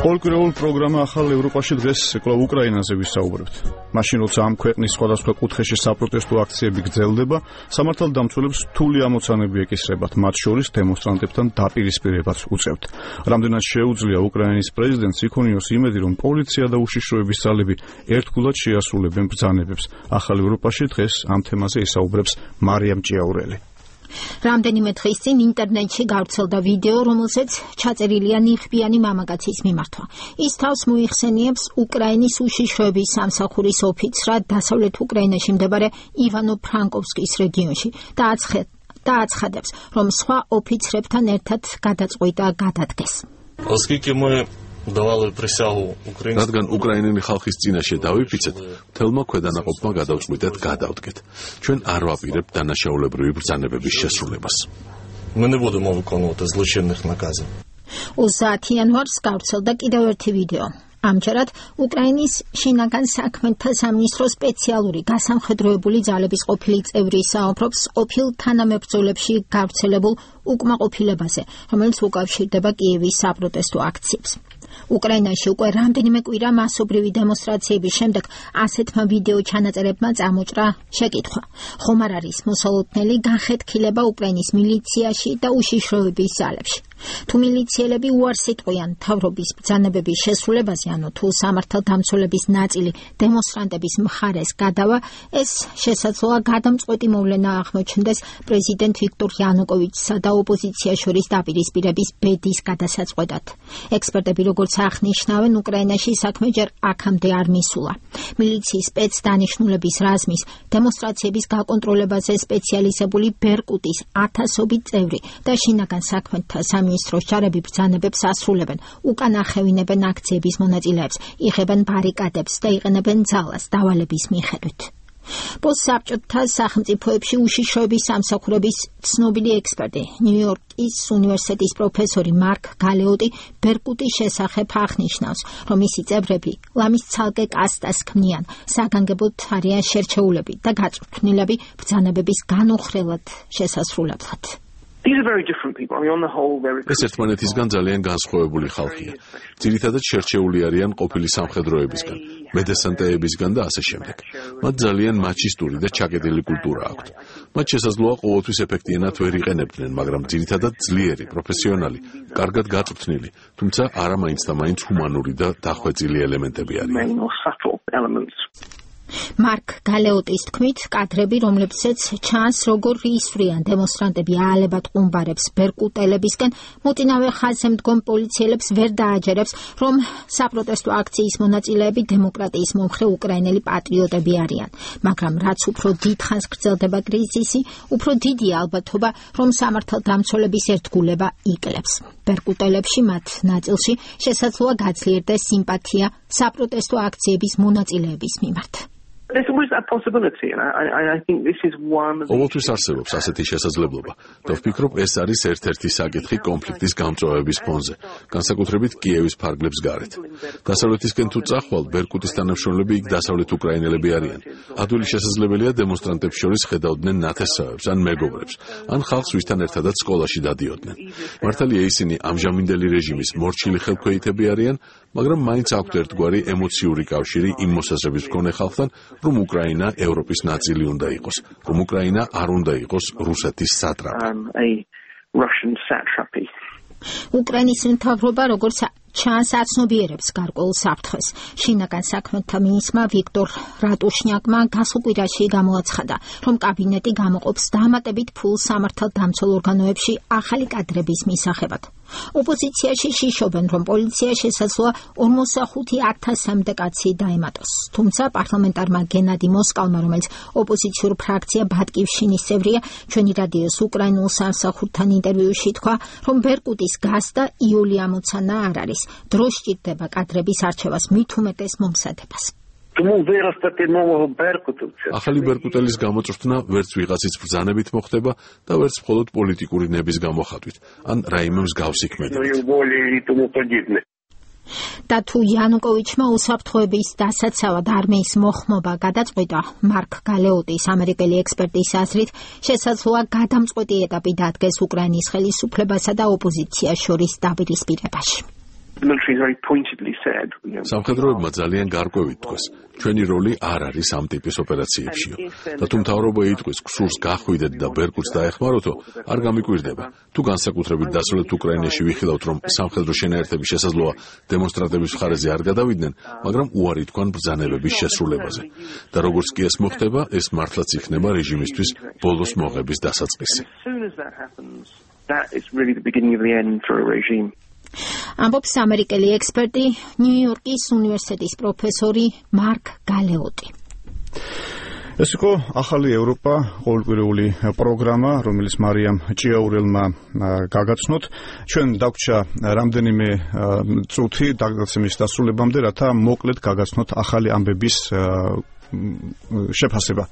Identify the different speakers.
Speaker 1: პოლკრეულ პროგრამა ახალ ევროპაში დღეს კვლავ უკრაინაზე ვისაუბრებთ. მაშინ როცა ამ ქვეყნის სხვადასხვა კუთხეში საპროტესტო აქციები გრძელდება, სამართალდამცველებს რთული ამოცანები ეკისრებათ, მათ შორის დემონსტრანტებთან დაპირისპირებაც უწევთ. რამდენად შეუძლია უკრაინის პრეზიდენტს იქონიოს იმედი, რომ პოლიცია და უშიშროების ძალები ერთგულად შეასრულებენ ბრძანებებს. ახალ ევროპაში დღეს ამ თემაზე ისაუბრებს მარიამ ჭიაურელი.
Speaker 2: რამდენიმე დღის წინ ინტერნეტში გავრცელდა ვიდეო, რომელზეც ჩაწერილია ნიღბიანი მამაკაცის მიმართვა. ის თავს მოიხსენიებს უკრაინის უშიშროების სამსახურის ოფიცრად დასავლეთ უკრაინაში მდებარე ივანო-ფრანკოვსკის რეგიონში და აცხადებს, რომ სხვა ოფიცრებთან ერთად გადაწყვიტა გადადგეს.
Speaker 3: რადგან უკრაინელი ხალხის წინაშე დავიფიცეთ, მთელმა ქვედანაყოფმა გადავწყვიტეთ გადავდგეთ. ჩვენ არ ვაპირებთ დანაშაულებრივი ბრძანებების შესრულებას.
Speaker 2: 30 იანვარს გავრცელდა კიდევ ერთი ვიდეო. ამჯერად უკრაინის შინაგან საქმეთა სამინისტროს სპეციალური გასამხედროებული ძალების ყოფილი წევრი საუბრობს ყოფილ თანამებრძოლებში გავრცელებულ უკმაყოფილებაზე, რომელიც უკავშირდება კიევის საპროტესტო აქციებს. უკრაინაში უკვე რამდენიმე კვირა მასობრივი დემონსტრაციების შემდეგ ასეთმა ვიდეო ჩანაწერებმა წამოჭრა შეკითხვა. ხომ არ არის მოსალოდნელი განხეთქილება უკრაინის მილიციაში და უშიშროების ძალებში? თუ მილიციელები უარს იტყვიან მთავრობის ბრძანებების შესრულებაზე, ანუ თუ სამართალდამცველების ნაწილი დემონსტრანტების მხარეს გადავა, ეს შესაძლოა გადამწყვეტი მოვლენა აღმოჩნდეს პრეზიდენტ ვიქტორ იანუკოვიჩსა და ოპოზიციას შორის დაპირისპირების ბედის გადასაწყვეტად. ექსპერტები როგორც აღნიშნავენ, უკრაინაში საქმე ჯერ აქამდე არ მისულა. მილიციის სპეცდანიშნულების რაზმის დემონსტრაციების გაკონტროლებაზე სპეციალიზებული ბერკუტის 1000-ობით წევრი და შინაგან საქმეთა სამინისტროს ჯარები ბრძანებებს ასრულებენ, უკან ახევინებენ აქციების მონაწილეებს, იღებენ ბარიკადებს და იყენებენ ძალას დავალების მიხედვით. პოსტსაბჭოთა სახელმწიფოებში უშიშროების სამსახურების ცნობილი ექსპერტი, ნიუ-იორკის უნივერსიტეტის პროფესორი მარკ გალეოტი ბერკუტის შესახებ აღნიშნავს, რომ მისი წევრები ლამის ცალკე კასტას ქმნიან, საგანგებოდ არიან შერჩეულები და გაწვრთნილები ბრძანებების განუხრელად შესასრულებლად.
Speaker 3: ეს ერთმანეთისგან ძალიან განსხვავებული ხალხია. ძირითადად შერჩეული არიან ყოფილი სამხედროებისგან, მედესანტეებისგან და ასე შემდეგ. მათ ძალიან მაჩისტური და ჩაკეტილი კულტურა აქვთ. მათ შესაძლოა ყოველთვის ეფექტიანად ვერ იყენებდნენ, მაგრამ ძირითადად ძლიერი, პროფესიონალი, კარგად გაწვრთნილი, თუმცა არა მაინც და მაინც ჰუმანური და დახვეწილი ელემენტები არიან.
Speaker 2: მარკ გალეოტის თქმით, კადრები, რომლებსაც ჩანს, როგორ ისვრიან დემონსტრანტები აალებად ყუმბარებს ბერკუტელებისგან, მოწინავე ხაზზე მდგომ პოლიციელებს ვერ დააჯერებს, რომ საპროტესტო აქციის მონაწილეები დემოკრატიის მომხრე უკრაინელი პატრიოტები არიან. მაგრამ რაც უფრო დიდხანს გრძელდება კრიზისი, უფრო დიდია ალბათობა, რომ სამართალდამცველების ერთგულება იკლებს. ბერკუტელებში მათ ნაწილში შესაძლოა გაძლიერდეს სიმპათია საპროტესტო აქციების მონაწილეების მიმართ.
Speaker 3: ყოველთვის არსებობს ასეთი შესაძლებლობა და ვფიქრობ, ეს არის ერთ-ერთი საკითხი კონფლიქტის გამწვავების ფონზე, განსაკუთრებით კიევის ფარგლებს გარეთ. დასავლეთისკენ თუ წახვალ, ბერკუტის თანამშრომლები იქ დასავლეთ უკრაინელები არიან. ადვილი შესაძლებელია დემონსტრანტებს შორის ხედავდნენ ნათესავებს ან მეგობრებს, ან ხალხს, ვისთან ერთადაც სკოლაში დადიოდნენ. მართალია ისინი ამჟამინდელი რეჟიმის მორჩილი ხელქვეითები არიან, მაგრამ მაინც აქვთ ერთგვარი ემოციური კავშირი იმ მოსაზრების მქონე ხალხთან, რომ უკრაინა ევროპის ნაწილი უნდა იყოს, რომ უკრაინა არ უნდა იყოს რუსეთის სატრაპი.
Speaker 2: უკრაინის მთავრობა, როგორც ჩანს, აცნობიერებს გარკვეულ საფრთხეს. შინაგან საქმეთა მინისტრმა ვიქტორ რატუშნიაკმა გასაკვირაში გამოაცხადა, რომ კაბინეტი გამოყოფს დამატებით ფულს სამართალდამცველ ორგანოებში ახალი კადრების მისაღებად. ოპოზიციაში შიშობენ, რომ პოლიცია შესაძლოა 45,000-მდე კაცი დაემატოს. თუმცა პარლამენტარმა გენადი მოსკალმა, რომელიც ოპოზიციურ ფრაქცია ბატკივშინის წევრია, ჩვენი რადიოს უკრაინულ სამსახურთან ინტერვიუში თქვა, რომ ბერკუტის გასდა იული ამოცანა არ არის. დრო სჭირდება კადრების არჩევას, მით უმეტეს მომზადებას.
Speaker 3: ახალი ბერკუტელის გამოწვრთნა ვერც ვიღაცის ბრძანებით მოხდება და ვერც მხოლოდ პოლიტიკური ნების გამოხატვით, ან რაიმე მსგავსი ქმედებით.
Speaker 2: და თუ იანუკოვიჩმა უსაფრთხოების დასაცავად არმიის მოხმობა გადაწყვიტა, მარკ გალეოტის ამერიკელი ექსპერტის აზრით, შესაძლოა გადამწყვეტი ეტაპი დადგეს უკრაინის ხელისუფლებასა და ოპოზიციას შორის დაპირისპირებაში.
Speaker 3: სამხედროებმა ძალიან გარკვევით თქვეს, ჩვენი როლი არ არის ამ ტიპის ოპერაციებშიო. და თუ მთავრობა იტყვის, გსურს გახვიდეთ და ბერკუტს დაეხმაროთო, არ გამიკვირდება. თუ განსაკუთრებით დასავლეთ უკრაინაში ვიხილავთ, რომ სამხედრო შენაერთები შესაძლოა დემონსტრანტების მხარეზე არ გადავიდნენ, მაგრამ უარი თქვან ბრძანებების შესრულებაზე. და როგორც კი ეს მოხდება, ეს მართლაც იქნება რეჟიმისთვის ბოლოს მოღების დასაწყისი.
Speaker 2: ამბობს ამერიკელი ექსპერტი, ნიუ-იორკის უნივერსიტეტის პროფესორი მარკ გალეოტი.
Speaker 1: ეს იყო ახალი ევროპა, ყოველკვირეული პროგრამა, რომელიც მარიამ ჭიაურელმა გაგაცნოთ. ჩვენ დაგვრჩა რამდენიმე წუთი დაგაცემის დასრულებამდე, რათა მოკლედ გაგაცნოთ ახალი ამბების შეფასება.